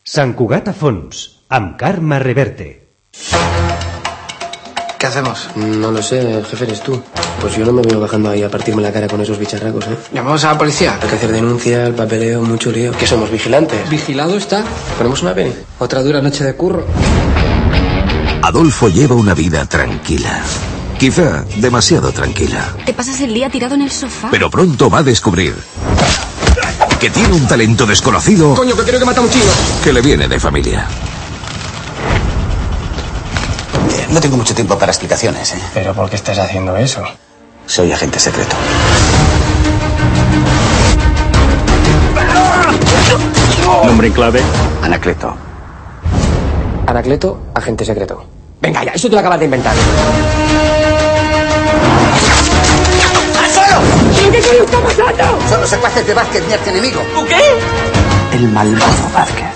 Sant Cugat a fons, amb Carme Reverte. ¿Qué hacemos? No lo sé, el jefe eres tú. Pues yo no me veo bajando ahí a partirme la cara con esos bicharracos, ¿eh? ¿Llamamos a la policía? Hay que hacer denuncia, el papeleo, mucho lío. ¿Qué somos, vigilantes? ¿Vigilado está? ¿Ponemos una peli? Otra dura noche de curro. Adolfo lleva una vida tranquila. Quizá demasiado tranquila. Te pasas el día tirado en el sofá. Pero pronto va a descubrir que tiene un talento desconocido. Coño, que creo que mata a un chino. Que le viene de familia. No tengo mucho tiempo para explicaciones, ¿eh? ¿Pero por qué estás haciendo eso? Soy agente secreto. Nombre en clave. Anacleto. Anacleto, agente secreto. Venga ya, eso te lo acabas de inventar. ¡Al suelo! ¿Qué está pasando? Son los secuaces de Vázquez, mi archienemigo. ¿Qué? El malvado Vázquez.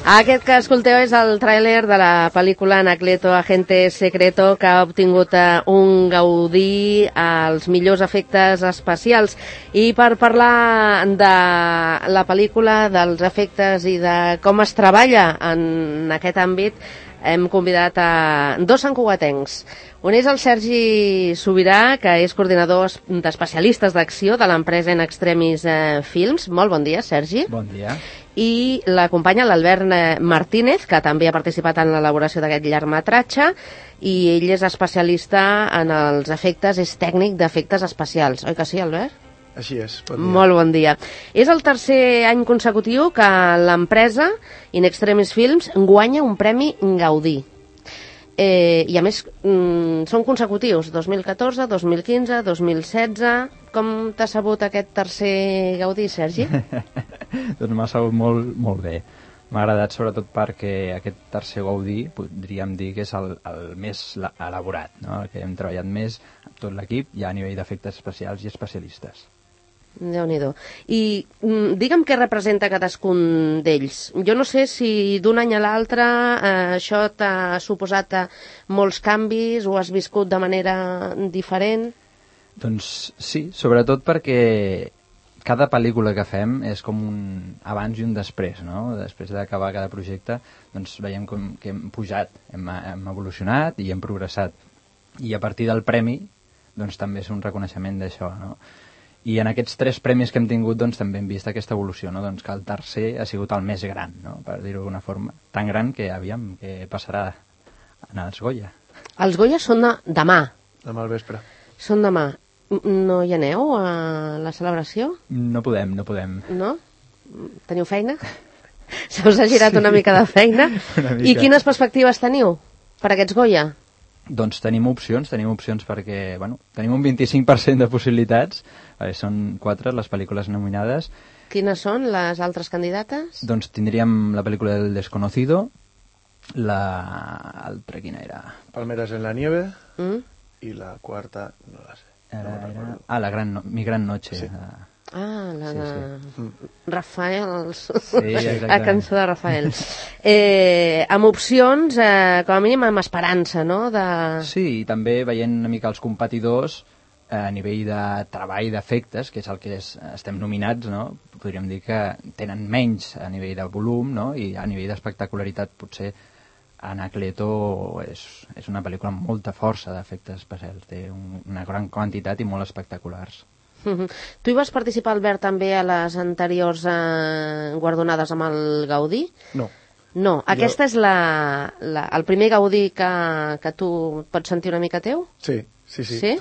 Aquest que escolteu és el tràiler de la pel·lícula Anacleto, Agente Secreto, que ha obtingut un Gaudí als millors efectes especials. I per parlar de la pel·lícula, dels efectes i de com es treballa en aquest àmbit, hem convidat a dos santcugatencs. Un és el Sergi Sobirà, que és coordinador d'especialistes d'acció de l'empresa In Extremis Films. Molt bon dia, Sergi. Bon dia. I l'acompanya l'Albert Martínez, que també ha participat en l'elaboració d'aquest llargmetratge, i ell és especialista en els efectes, és tècnic d'efectes especials. Oi que sí, Albert? Així és, bon dia. Molt bon dia. És el tercer any consecutiu que l'empresa In Extremis Films guanya un premi Gaudí. I a més són consecutius, 2014, 2015, 2016. Com t'ha sabut aquest tercer Gaudí, Sergi? Doncs m'ha sabut molt bé. M'ha agradat sobretot perquè aquest tercer Gaudí podríem dir que és el més elaborat, no? El que hem treballat més amb tot l'equip, ja a nivell d'efectes especials i especialistes. Déu-n'hi-do. I digue'm què representa cadascun d'ells. Jo no sé si d'un any a l'altre això t'ha suposat molts canvis o has viscut de manera diferent? Doncs sí, sobretot perquè cada pel·lícula que fem és com un abans i un després, no? Després d'acabar cada projecte doncs veiem que hem pujat, hem evolucionat i hem progressat. I a partir del premi doncs també és un reconeixement d'això, no? I en aquests 3 premis que hem tingut doncs, també hem vist aquesta evolució, no? Doncs que el tercer ha sigut el més gran, no? Per dir-ho d'una forma. Tan gran que aviam què passarà en els Goya. Els Goya són demà. Demà al vespre. Són demà. No hi aneu a la celebració? No podem. No? Teniu feina? Se us ha girat una mica de feina? I quines perspectives teniu per aquests Goya? Doncs tenim opcions perquè, bueno, tenim un 25% de possibilitats, són 4 les pel·lícules nominades. Quines són les altres candidates? Doncs tindríem la pel·lícula del Desconocido, l'altra quina era? Palmeras en la nieve, i la quarta no la sé. Mi gran noche. Sí. La de Rafael, sí, la cançó de Rafael. Amb opcions, com a mínim amb esperança, no? Sí, i també veient una mica els competidors a nivell de treball d'efectes, que és el que estem nominats, no? Podríem dir que tenen menys a nivell de volum, no? I a nivell d'espectacularitat potser Anacleto és una pel·lícula amb molta força d'efectes especials, té una gran quantitat i molt espectaculars. Tu hi vas participar, Albert, també a les anteriors guardonades amb el Gaudí? No. No, aquesta és el primer Gaudí que tu pots sentir una mica teu? Sí,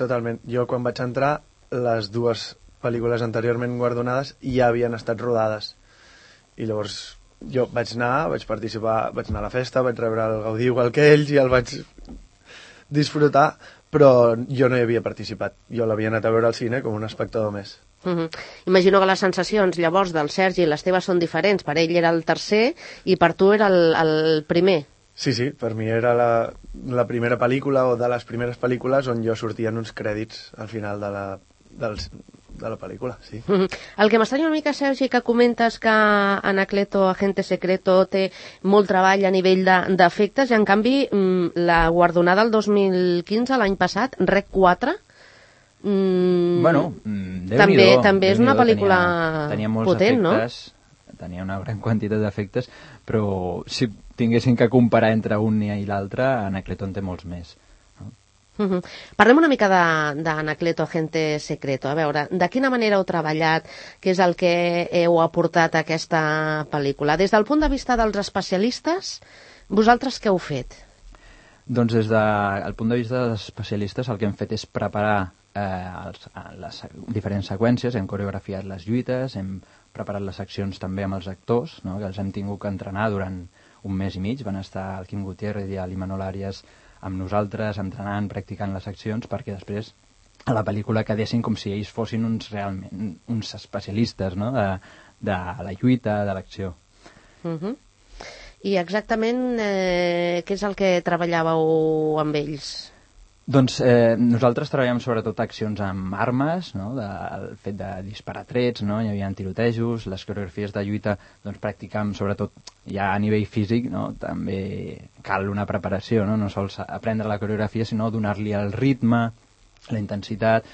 totalment. Jo quan vaig entrar, les 2 pel·lícules anteriorment guardonades ja havien estat rodades. I llavors jo vaig participar, vaig anar a la festa, vaig rebre el Gaudí igual que ells i el vaig disfrutar, però jo no hi havia participat. Jo l'havia anat a veure al cine com un espectador més. Imagino que les sensacions llavors del Sergi, les teves són diferents. Per ell era el tercer i per tu era el primer. Sí, per mi era la primera pel·lícula o de les primeres pel·lícules on jo sortia en uns crèdits al final de la pel·lícula, sí. El que m'estranya una mica, Sergi, que comentes que Anacleto, Agente Secreto, té molt treball a nivell d'efectes, i en canvi la guardonada del 2015, l'any passat, Rec 4, bueno, també és una pel·lícula tenia molts potent, efectes, tenia una gran quantitat d'efectes, però si tinguessin que comparar entre un i l'altre, Anacleto en té molts més. Parlem una mica d'Anacleto Agente Secreto. A veure, de quina manera heu treballat? Què és el que heu aportat a aquesta pel·lícula? Des del punt de vista dels especialistes, vosaltres què heu fet? Doncs des del punt de vista dels especialistes el que hem fet és preparar les diferents seqüències, hem coreografiat les lluites, hem preparat les accions també amb els actors, no? Que els hem tingut que entrenar durant un mes i mig. Van estar el Quim Gutiérrez i l'Imanol Arias amb nosaltres, entrenant, practicant les accions, perquè després a la pel·lícula quedessin com si ells fossin realment uns especialistes, no? de la lluita, de l'acció. I exactament què és el que treballàveu amb ells? Doncs nosaltres treballem sobretot accions amb armes, no? El fet de disparar trets, no? Hi havia tirotejos, les coreografies de lluita doncs practicam sobretot ja a nivell físic, no? També cal una preparació, no? No sols aprendre la coreografia, sinó donar-li el ritme, la intensitat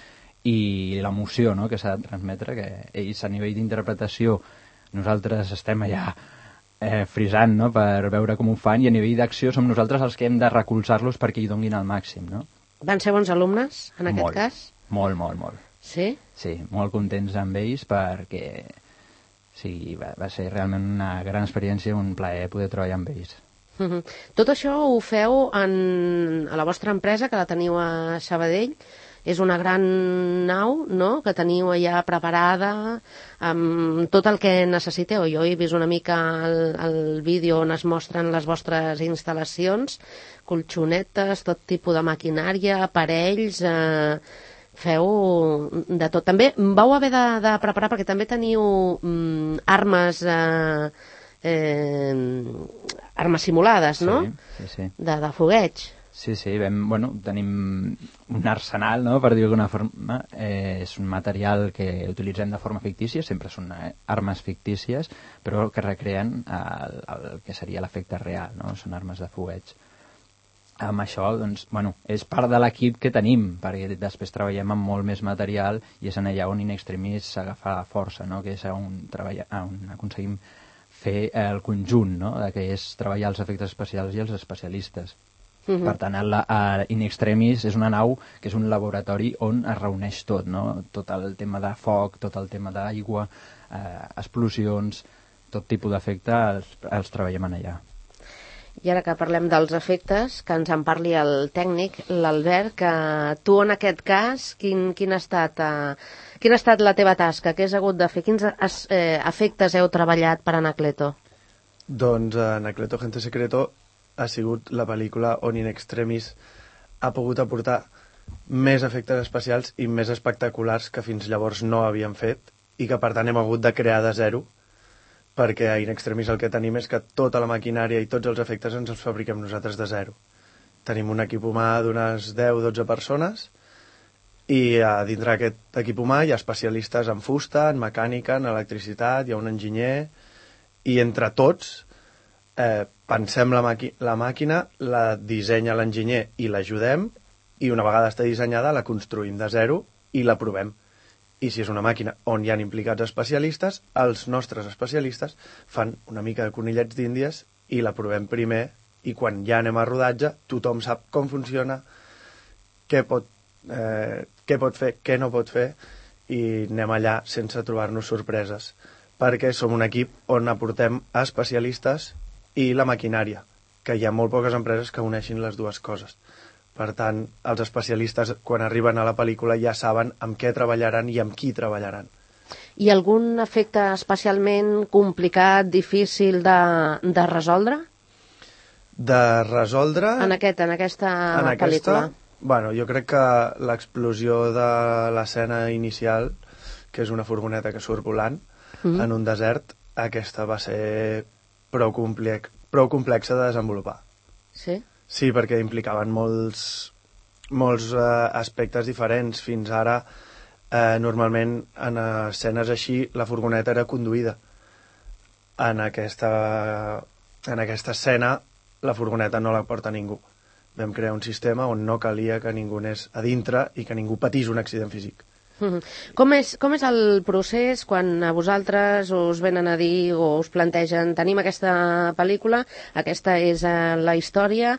i l'emoció, no? Que s'ha de transmetre, que ells a nivell d'interpretació nosaltres estem allà frisant, no? Per veure com ho fan, i a nivell d'acció som nosaltres els que hem de recolzar-los perquè hi donin el màxim, no? Van ser bons alumnes, en aquest cas? Molt, molt, molt. Sí? Sí, molt contents amb ells perquè sí, va ser realment una gran experiència, un plaer poder treballar amb ells. Tot això ho feu a la vostra empresa, que la teniu a Sabadell. És una gran nau, no?, que teniu allà preparada amb tot el que necessiteu. Jo he vist una mica el vídeo on es mostren les vostres instal·lacions, colxonetes, tot tipus de maquinària, aparells, feu de tot. També vau haver de preparar, perquè també teniu armes simulades, no?, Sí. de fogueig. Sí, tenim un arsenal, no?, per dir d'alguna forma. És un material que utilitzem de forma fictícia, sempre són armes fictícies, però que recreen el que seria l'efecte real, no? Són armes de fogueig. Amb això, doncs, és part de l'equip que tenim, perquè després treballem amb molt més material i és en allà on In Extremis s'agafa la força, no?, que és on aconseguim fer el conjunt, no?, que és treballar els efectes especials i els especialistes. Per tant, In Extremis és una nau que és un laboratori on es reuneix tot, no? Tot el tema de foc, tot el tema d'aigua, explosions, tot tipus d'efecte els treballem en allà. I ara que parlem dels efectes, que ens en parli el tècnic, l'Albert, que tu en aquest cas, quina ha estat la teva tasca? Què has hagut de fer? Quins efectes heu treballat per Anacleto? Doncs Anacleto Agente Secreto ha sigut la pel·lícula on In Extremis ha pogut aportar més efectes especials i més espectaculars que fins llavors no havien fet i que per tant hem hagut de crear de zero, perquè a In Extremis el que tenim és que tota la maquinària i tots els efectes ens els fabriquem nosaltres de zero. Tenim un equip humà d'unes 10-12 persones i dintre d'aquest equip humà hi ha especialistes en fusta, en mecànica, en electricitat, hi ha un enginyer, i entre tots pensem la màquina, la dissenya l'enginyer i l'ajudem, i una vegada està dissenyada la construïm de zero i la provem. I si és una màquina on hi ha implicats especialistes, els nostres especialistes fan una mica de conillets d'índies i la provem primer, i quan ja anem a rodatge tothom sap com funciona, què pot fer, què no pot fer, i anem allà sense trobar-nos sorpreses, perquè som un equip on aportem especialistes i la maquinària, que hi ha molt poques empreses que uneixin les dues coses. Per tant, els especialistes, quan arriben a la pel·lícula, ja saben amb què treballaran i amb qui treballaran. I algun efecte especialment complicat, difícil de resoldre? De resoldre... En aquesta pel·lícula? Bueno, jo crec que l'explosió de l'escena inicial, que és una furgoneta que surt volant en un desert, aquesta va ser prou complexa de desenvolupar. Sí? Sí, perquè implicaven molts aspectes diferents. Fins ara, normalment, en escenes així, la furgoneta era conduïda. En aquesta escena, la furgoneta no la porta ningú. Vam crear un sistema on no calia que ningú anés a dintre i que ningú patís un accident físic. Com és el procés quan a vosaltres us venen a dir o us plantegen tenim aquesta pel·lícula, aquesta és la història,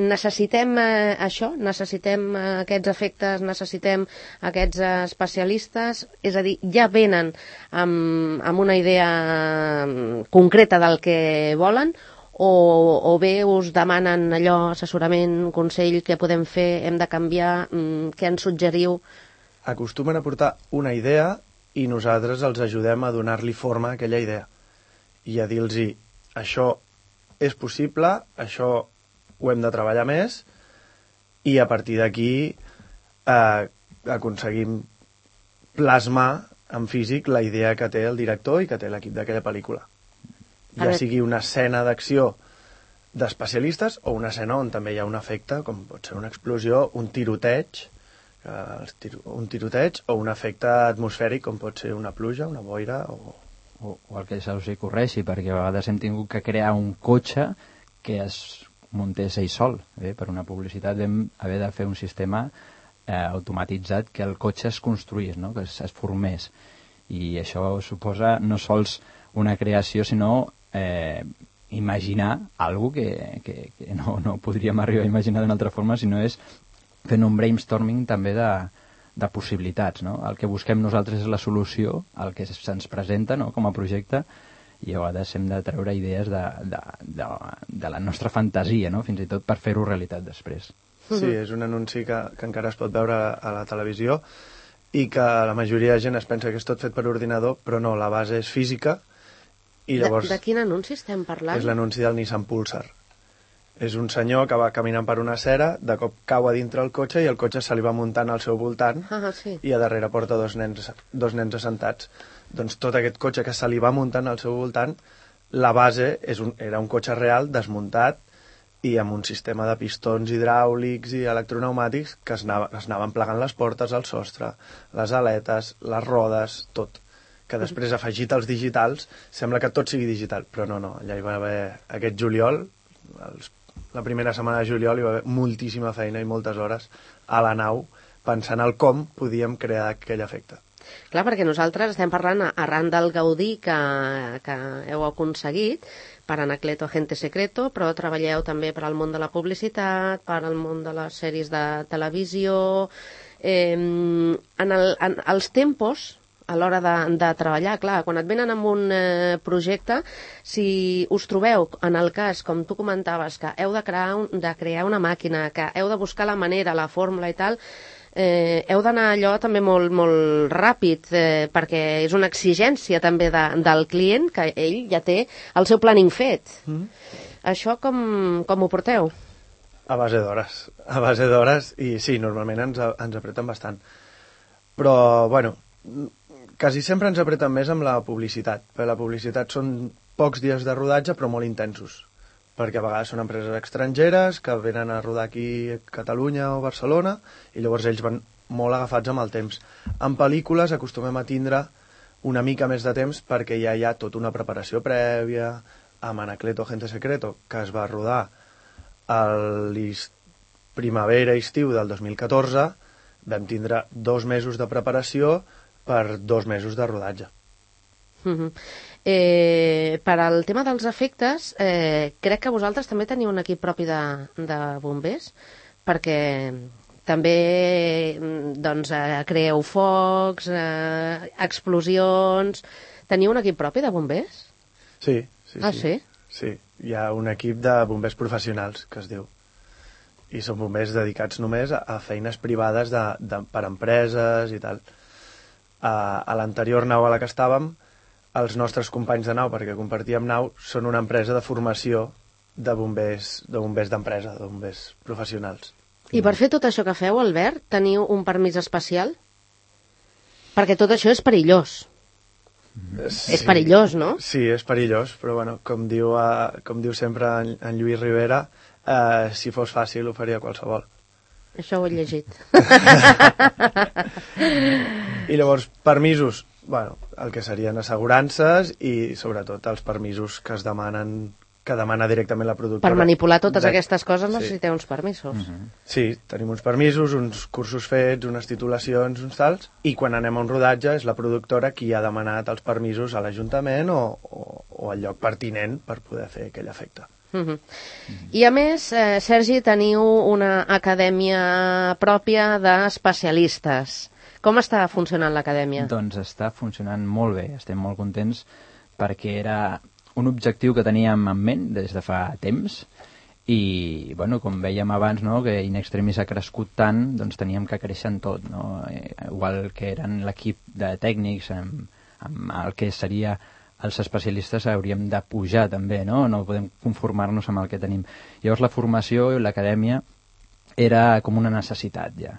necessitem això, necessitem aquests efectes, necessitem aquests especialistes, és a dir, ja venen amb una idea concreta del que volen o bé us demanen allò, assessorament, consell, què podem fer, hem de canviar, què ens suggeriu? Acostumen a portar una idea i nosaltres els ajudem a donar-li forma a aquella idea i a dir-los això és possible, això ho hem de treballar més i a partir d'aquí aconseguim plasmar en físic la idea que té el director i que té l'equip d'aquella pel·lícula. Ja sigui una escena d'acció d'especialistes o una escena on també hi ha un efecte, com pot ser una explosió, un tiroteig o un efecte atmosfèric com pot ser una pluja, una boira o el que se us hi correixi, perquè a vegades hem tingut que crear un cotxe que es muntés ell sol. Per una publicitat vam haver de fer un sistema automatitzat que el cotxe es construís, no? Que es formés, i això suposa no sols una creació sinó imaginar alguna cosa que no podríem arribar a imaginar d'una altra forma, sinó és fent un brainstorming també de possibilitats, no? El que busquem nosaltres és la solució al que se'ns presenta, no? Com a projecte, i a vegades hem de treure idees de la nostra fantasia, no? Fins i tot per fer-ho realitat després. Sí, és un anunci que encara es pot veure a la televisió i que la majoria de gent es pensa que és tot fet per ordinador, però no, la base és física i llavors... De quin anunci estem parlant? És l'anunci del Nissan Pulsar. És un senyor que va caminant per una acera, de cop cau a dintre el cotxe i el cotxe se li va muntant al seu voltant sí. I a darrere porta dos nens assentats. Doncs tot aquest cotxe que se li va muntant al seu voltant, la base era un cotxe real desmuntat i amb un sistema de pistons hidràulics i electronèumàtics que es anaven plegant les portes, el sostre, les aletes, les rodes, tot. Que després, afegit als digitals, sembla que tot sigui digital, però no, allà hi va haver aquest juliol, la primera setmana de juliol hi va haver moltíssima feina i moltes hores a la nau pensant el com podíem crear aquell efecte. Clar, perquè nosaltres estem parlant arran del gaudí que heu aconseguit per Anacleto Agente Secreto, però treballeu també per al món de la publicitat, per al món de les sèries de televisió. En els tempos, a l'hora de treballar, clar, quan et venen amb un projecte, si us trobeu, en el cas, com tu comentaves, que heu de crear una màquina, que heu de buscar la manera, la fórmula i tal, heu d'anar allò també molt, molt ràpid, perquè és una exigència també del client, que ell ja té el seu planning fet. Això com ho porteu? A base d'hores, i sí, normalment ens apreten bastant. Però, bueno, quasi sempre ens apreten més amb la publicitat, perquè la publicitat són pocs dies de rodatge però molt intensos, perquè a vegades són empreses estrangeres que venen a rodar aquí a Catalunya o Barcelona i llavors ells van molt agafats amb el temps. En pel·lícules acostumem a tindre una mica més de temps perquè ja hi ha tota una preparació prèvia. Amb Anacleto Agente Secreto, que es va rodar a primavera-estiu del 2014, vam tindre 2 mesos de preparació per 2 mesos de rodatge. Per al tema dels efectes, crec que vosaltres també teniu un equip propi de bombers, perquè també creeu focs, explosions... Teniu un equip propi de bombers? Sí. Sí? Sí, hi ha un equip de bombers professionals, que es diu. I són bombers dedicats només a feines privades per empreses i tal. A l'anterior nau a la que estàvem, els nostres companys de nau, perquè compartíem nau, són una empresa de formació de bombers d'empresa, de bombers professionals. I per fer tot això que feu, Albert, teniu un permís especial? Perquè tot això és perillós. Sí, és perillós, no? Sí, és perillós, però bueno, com diu sempre en Lluís Rivera, si fos fàcil ho faria qualsevol. Això ho he llegit. I llavors, permisos, bueno, el que serien assegurances i sobretot els permisos que es demanen que demana directament la productora. Per manipular totes aquestes coses necessiteu uns permisos. Sí, tenim uns permisos, uns cursos fets, unes titulacions, uns tals, i quan anem a un rodatge és la productora qui ha demanat els permisos a l'Ajuntament o al lloc pertinent per poder fer aquell efecte. I a més, Sergi, teniu una acadèmia pròpia d'especialistes. Com està funcionant l'acadèmia? Doncs està funcionant molt bé, estem molt contents perquè era un objectiu que teníem en ment des de fa temps i, bueno, com vèiem abans, no, que In Extremis ha crescut tant, doncs teníem que créixer en tot, no? Igual que eren l'equip de tècnics amb el que seria els especialistes hauríem de pujar també, no? No podem conformar-nos amb el que tenim. Llavors la formació i l'acadèmia era com una necessitat ja.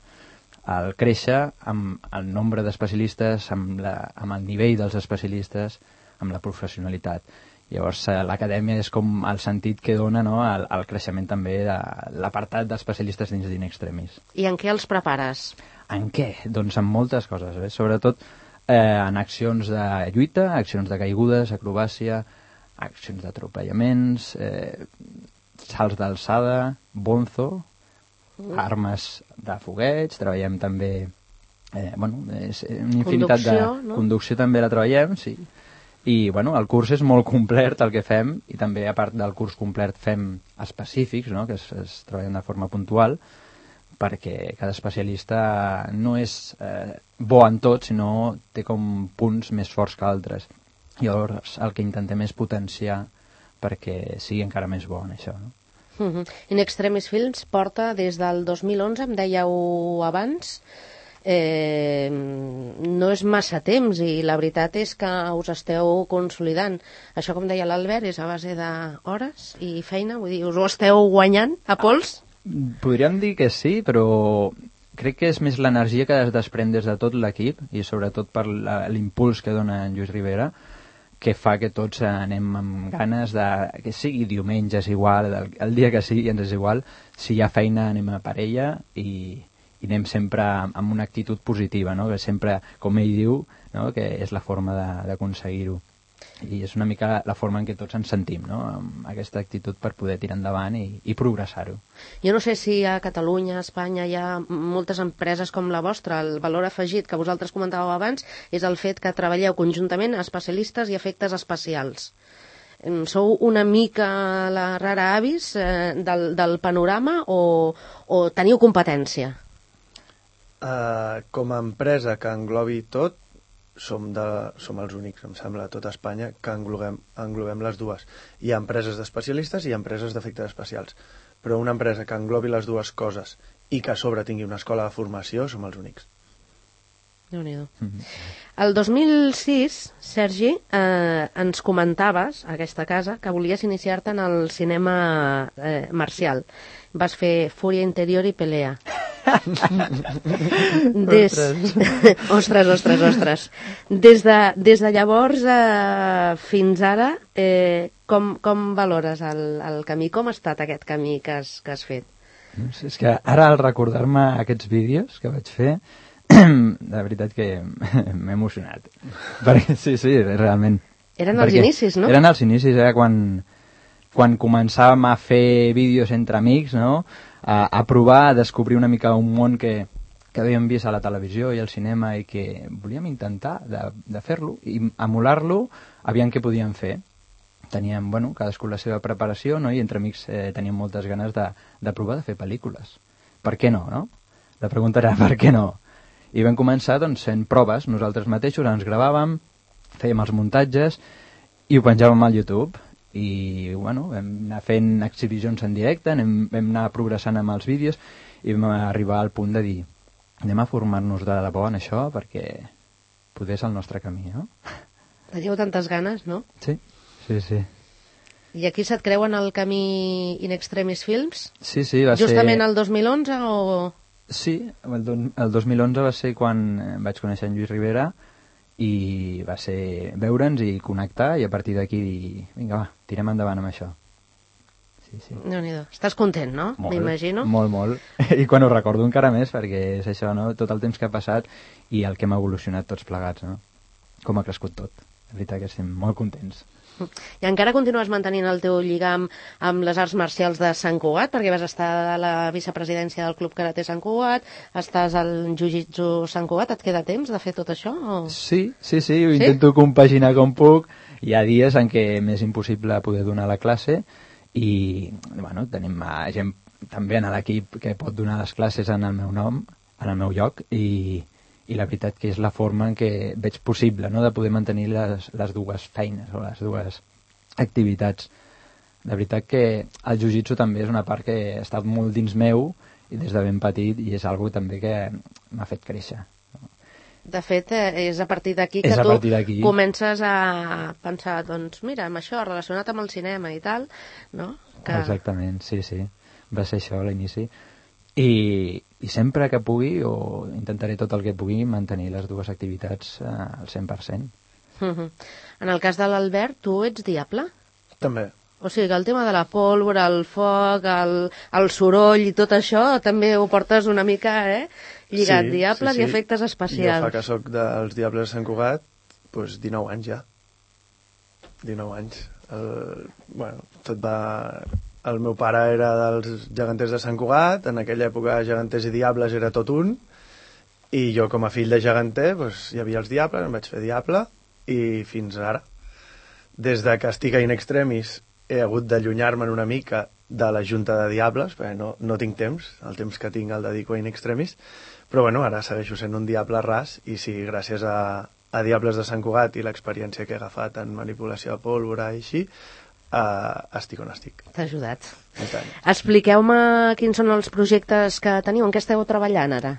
Al créixer amb el nombre d'especialistes, amb el nivell dels especialistes, amb la professionalitat. Llavors l'acadèmia és com el sentit que dona, no, al creixement també de l'apartat d'especialistes dins d'In Extremis. I en què els prepares? En què? Doncs en moltes coses, sobretot en accions de lluita, accions de caigudes, acrobàcia, accions d'atropellaments, salts d'alçada, bonzo, armes de fogueig, treballem també és una infinitat de conducció també la treballem, sí. I bueno, el curs és molt complet el que fem i també a part del curs complet fem específics, no? Que es treballen de forma puntual perquè cada especialista no és bo en tot, sinó té com punts més forts que altres. Llavors el que intentem és potenciar perquè sigui encara més bo en això, no? In Extremis Films porta des del 2011, em dèieu abans, no és massa temps i la veritat és que us esteu consolidant. Això, com deia l'Albert, és a base d'hores i feina, vull dir, us ho esteu guanyant a pols? Podríem dir que sí, però crec que és més l'energia que es desprèn des de tot l'equip i sobretot per l'impuls que dona en Lluís Rivera, que fa que tots anem amb ganes de que sigui diumenge, és igual, el dia que sigui ens és igual, si hi ha feina anem a per ella i anem sempre amb una actitud positiva, no? Que sempre, com ell diu, no? Que és la forma d'aconseguir-ho. I és una mica la forma en què tots ens sentim, no? Amb aquesta actitud per poder tirar endavant i progressar-ho. Jo no sé si a Catalunya, a Espanya, hi ha moltes empreses com la vostra. El valor afegit que vosaltres comentàveu abans és el fet que treballeu conjuntament especialistes i efectes especials. Sou una mica la rara avis del panorama o teniu competència? Com a empresa que englobi tot, som els únics, em sembla, a tot Espanya que englobem les dues. Hi ha empreses d'especialistes i empreses d'efectes especials, però una empresa que englobi les dues coses i que a sobre tingui una escola de formació som els únics. Déu-n'hi-do. El 2006, Sergi, ens comentaves a aquesta casa que volies iniciar-te en el cinema marcial. Vas fer Fúria Interior i Pelea. Ostres. Des de llavors fins ara, com valores el camí? Com ha estat aquest camí que has fet? És que ara, al recordar-me aquests vídeos que vaig fer, de veritat que m'he emocionat. Perquè, sí, realment. Eren els inicis, no? Eren els inicis, quan començàvem a fer vídeos entre amics, no? A provar, a descobrir una mica un món que havíem vist a la televisió i al cinema i que volíem intentar de fer-lo i emular-lo, aviam què podíem fer. Teníem, cadascú la seva preparació, no? I entre amics teníem moltes ganes de provar de fer pel·lícules. Per què no, no? La pregunta era, per què no? I vam començar fent proves, nosaltres mateixos ens gravàvem, fèiem els muntatges i ho penjàvem al YouTube. I vam anar fent exhibicions en directe, vam anar progressant amb els vídeos i vam arribar al punt de dir anem a formar-nos de debò en això perquè poder és el nostre camí, no? Teniu tantes ganes, no? Sí. I aquí se't creuen el camí In Extremis Films? Sí, va ser... Justament el 2011 o...? Sí, el 2011 va ser quan vaig conèixer en Lluís Rivera i va ser veure'ns i connectar i a partir d'aquí dir, vinga, va, tirem endavant amb això. Sí. Déu-n'hi-do. Estàs content, no? M'imagino. Molt. I quan ho recordo encara més, perquè és això, no? Tot el temps que ha passat i el que hem evolucionat tots plegats, no? Com ha crescut tot. La veritat que estem molt contents. I encara continues mantenint el teu lligam amb les arts marcials de Sant Cugat, perquè vas estar a la vicepresidència del Club Karate Sant Cugat, estàs al Jiu-Jitsu Sant Cugat, et queda temps de fer tot això? O... Sí, ho intento compaginar com puc. Hi ha dies en què m'és impossible poder donar la classe i bueno, tenim gent també en l'equip que pot donar les classes en el meu nom, en el meu lloc, i la veritat que és la forma en què veig possible, no?, de poder mantenir les dues feines o les dues activitats. De veritat que el jiu-jitsu també és una part que ha estat molt dins meu i des de ben petit, i és algo també que m'ha fet créixer. De fet, és a partir d'aquí que tu comences a pensar, doncs mira, amb això relacionat amb el cinema i tal, no? Exactament, sí. Va ser això a l'inici. I sempre que pugui, o intentaré tot el que pugui, mantenir les dues activitats al 100%. En el cas de l'Albert, tu ets diable? També. O sigui, que el tema de la pólvora, el foc, el soroll i tot això, també ho portes una mica, lligat, diables i efectes especials. Jo fa que soc dels Diables de Sant Cugat, doncs 19 anys ja. 19 anys. Tot va... El meu pare era dels geganters de Sant Cugat, en aquella època geganters i diables era tot un, i jo com a fill de geganter hi havia els diables, em vaig fer diable, i fins ara. Des de que estic a In Extremis he hagut d'allunyar-me'n una mica de la junta de diables, perquè no tinc temps, el temps que tinc el dedico a In Extremis, però ara segueixo sent un diable ras, i sí, gràcies a Diables de Sant Cugat i l'experiència que he agafat en manipulació de pólvora i així, estic on estic. T'ha ajudat. Expliqueu-me quins són els projectes que teniu, en què esteu treballant ara?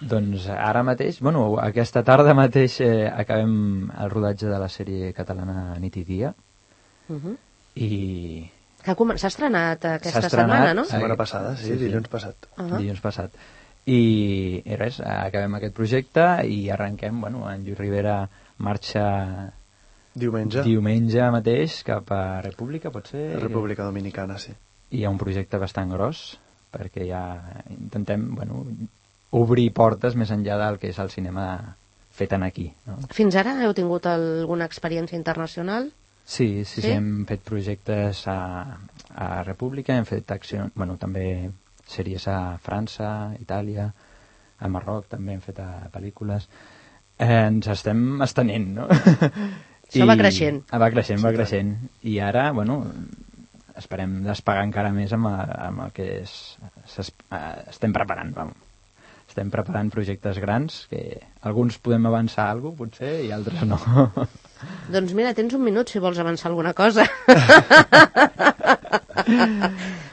Doncs ara mateix, aquesta tarda mateix acabem el rodatge de la sèrie catalana Nit i Dia. I... S'ha estrenat aquesta setmana, no? Setmana passada, sí, dilluns passat. Dilluns passat. I res, acabem aquest projecte i arrenquem, en Lluís Rivera marxa... Diumenge mateix cap a República, pot ser? República Dominicana, sí. I hi ha un projecte bastant gros, perquè ja intentem, obrir portes més enllà del que és el cinema fet aquí, no? Fins ara heu tingut alguna experiència internacional? Sí, hem fet projectes a República, hem fet accions, també sèries a França, Itàlia, a Marroc també hem fet pel·lícules. Ens estem estenent, no? Això va creixent. Va creixent. I ara, esperem despegar encara més amb el que estem preparant, Estem preparant projectes grans, que alguns podem avançar alguna cosa, potser, i altres no. Doncs mira, tens un minut si vols avançar alguna cosa.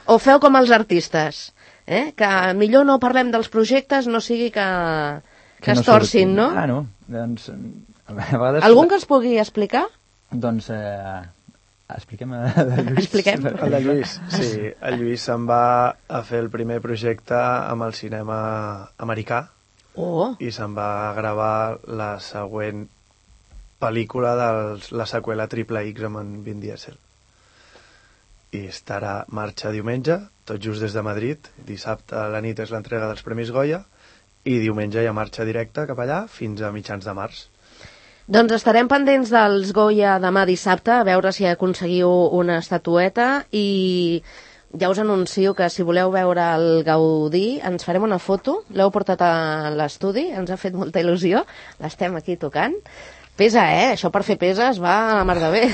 O feu com els artistes, que millor no parlem dels projectes, no sigui que es torcin, no? No, doncs... Algun que es pugui explicar? Doncs expliquem el de Lluís. El de Lluís, sí. El Lluís se'n va a fer el primer projecte amb el cinema americà i se'n va gravar la següent pel·lícula de la seqüela Triple X amb en Vin Diesel. I estarà marxa diumenge, tot just des de Madrid. Dissabte a la nit és l'entrega dels Premis Goya i diumenge hi ha marxa directa cap allà fins a mitjans de març. Doncs estarem pendents dels Goya demà dissabte, a veure si aconseguiu una estatueta, i ja us anuncio que si voleu veure el Gaudí ens farem una foto, l'heu portat a l'estudi, ens ha fet molta il·lusió, l'estem aquí tocant. Pesa, això per fer peses va a la mar de bé.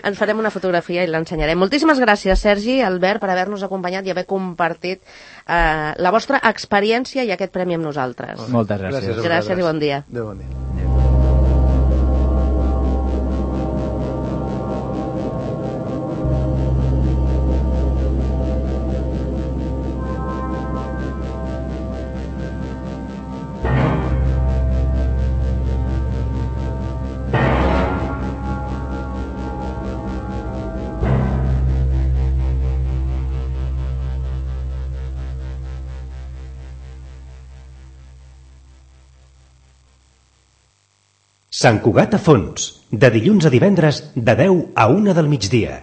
Ens farem una fotografia i l'ensenyarem. Moltíssimes gràcies, Sergi, Albert, per haver-nos acompanyat i haver compartit la vostra experiència i aquest premi amb nosaltres. Moltes gràcies. Gràcies i bon dia. Adéu, bon dia. Sant Cugat a fons, de dilluns a divendres, de 10 a 1 del migdia.